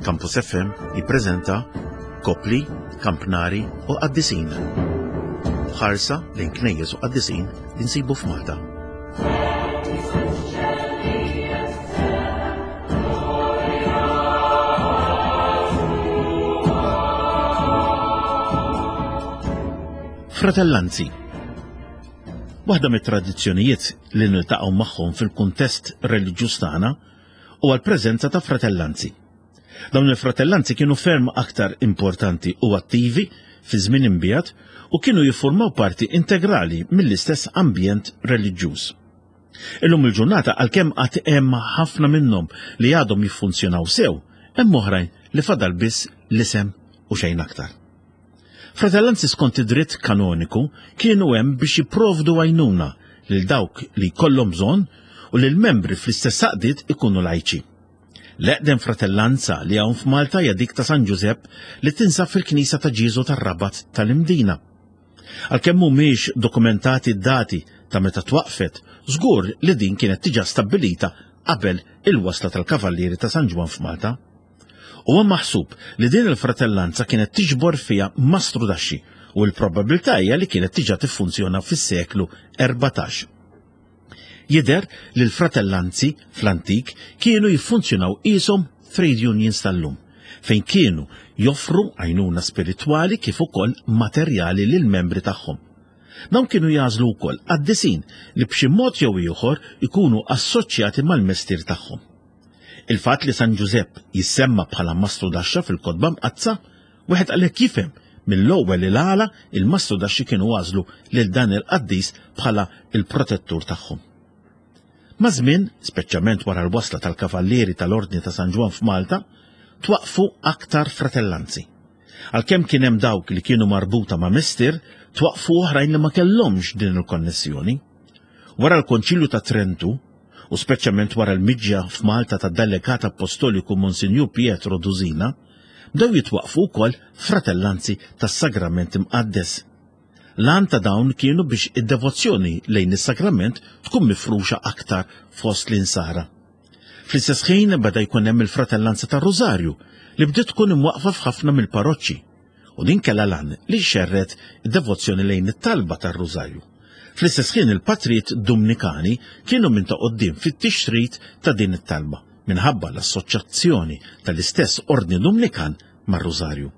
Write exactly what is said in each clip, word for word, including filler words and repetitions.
Campus F M jippreżenta Kopli, Kampnari u Qaddisin. Ħarsa lejn knejjes u qaddisin li nsibu f'Malta. Fratellanzi. Waħda mit-tradizzjonijiet li niltaqgħu magħhom fil-kuntest reliġjuż tagħna huwa l-preżenza ta' fratellanzi. Dawn il-fratellanzi kienu ferm aktar importanti u attivi fi żmien imbiegħed u kienu jiffurmaw parti integrali mill-istess ambjent reliġjuż. Illum il-ġurnata, għalkemm għad hemm ħafna minnhom li għadhom jiffunzjonaw sew, hemm oħrajn li fadal biss l-isem u xejn aktar. Fratellanzi skont id-dritt kanoniku kienu hemm biex jipprovdu għajnuna lil dawk li jkollhom bżonn u li l-membri fl-istess għaqdiet ikunu lajċi. L-eqdem fratellanza li hawn f'Malta hija dik ta' San Ġużepp li tinsab fil-Knisja ta' Ġieżu tar-Rabat tal-Imdina. Għalkemm mhumiex dokumentati d-dati ta' meta twaqfet, żgur li din kienet diġà stabbilita qabel il-wasla tal-Kavallieri ta' San Ġwann f'Malta. Huwa maħsub li din il-fratellanza kienet tiġbor fiha mastrudaxxi u l-probabilità hija li kienet diġà tiffunzjona fis-seklu erbatax. Jidher li l-fratellanzi fl-antik kienu jiffunzjonaw qishom trade unions tal-lum, fejn kienu joffru għajnuna spiritwali kif ukoll materjali lil membri tagħhom. Dawn kienu jagħżlu wkoll qaddisin li b'xi mod jew ieħor ikunu assoċjati mal-mestier tagħhom. Il-fatt li San Ġużepp jissemma bħala mastrudaxxa fil-Kotba Mqaddsa, wieħed għalhekk jifhem mill-ewwel il għala il-mastrudaxxi kienu għażlu lil dan il-qaddis bħala il-protettur tagħhom. Maż-żmien, speċjalment wara l-wasla tal-Kavallieri tal-Ordni ta' San Ġwann f'Malta, twaqfu aktar fratellanzi. Għalkemm kien hemm dawk li kienu marbuta ma' mestier, twaqfu oħrajn li ma kellhomx din il-konnessjoni. Wara l-Konċilju ta' Trentu, u speċjalment wara l-miġja f'Malta ta' delegat apostoliku Monsinjur Pietro Dusina, bdew jitwaqfu wkoll fratellanzi tas-Sagrament Imqaddes. L-għan ta' dawn kienu biex id-devozzjoni lejn is-sagrament tkun mifruxa aktar fost l-insara. Fl-istess ħin beda jkun hemm il-fratellanza tar-Rużarju li bdiet tkun imwaqfa f'ħafna mill-parroċċi u din kellha l-għan li xerred id-devozzjoni lejn it-talba tar-Rużarju. Fl-istess ħin il-patrijiet Dumnikani kienu minn ta' quddiem fit-tixrid ta' din it-talba minħabba l-assoċjazzjoni tal-istess Ordni Dumnikan mar-Rużarju.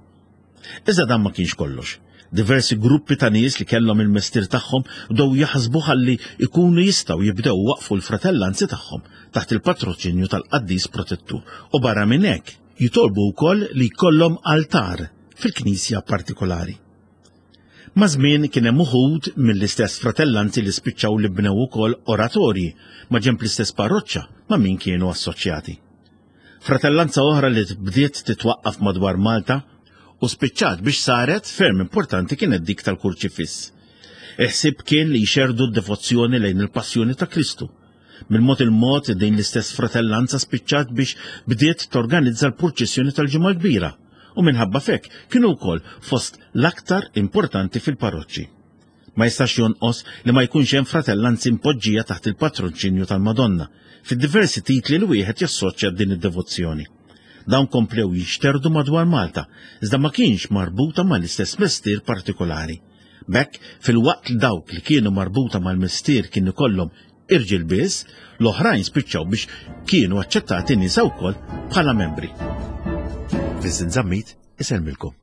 Iżda dan ma kienx kollox. Diversi gruppi ta' nies li kellhom il-mestier tagħhom bdew jaħsbu ħalli ikunu jistgħu jibdew waqfu l-fratellanzi tagħhom taħt il-patroċinju tal-qaddis protettur u barra minn hekk jitolbu wkoll li jkollhom altar fil-knisja partikolari. Maż-żmien kien hemm uħud mill-istess fratellanzi li spiċċaw li bnew ukoll oratorji ma' ġenb l-istess parroċċa ma' min kienu assoċjati. Fratellanza oħra li bdiet titwaqqaf madwar Malta u spiċċat biex saret ferm importanti kienet dik tal-Kurċifiss. Il-ħsieb kien li jxerdu d-devozzjoni lejn il-passjoni ta' Kristu. Mill-mod il-mod din l-istess fratellanza spiċċat biex bdiet torganizza l-purċissjoni tal-Ġimgħa Kbira u minħabba f'hekk kienu wkoll fost l-aktar importanti fil-parroċċi. Ma jistax jonqos li ma jkunx hemm fratellanzi impoġġija taħt il-patroċinju tal-Madonna fid-diversi titli li wieħed jassoċja din id-devozzjoni. Dawn komplew jinxterdu madwar Malta, iżda ma kienx marbuta mal-istess mestier partikolari. B'hekk, filwaqt li dawk li kienu marbuta mal-mestier kien ikollhom irġiel biss, l-oħrajn spiċċaw biex kienu aċċettati nisa wkoll bħala membri. Vincent Zammit isellmilkom.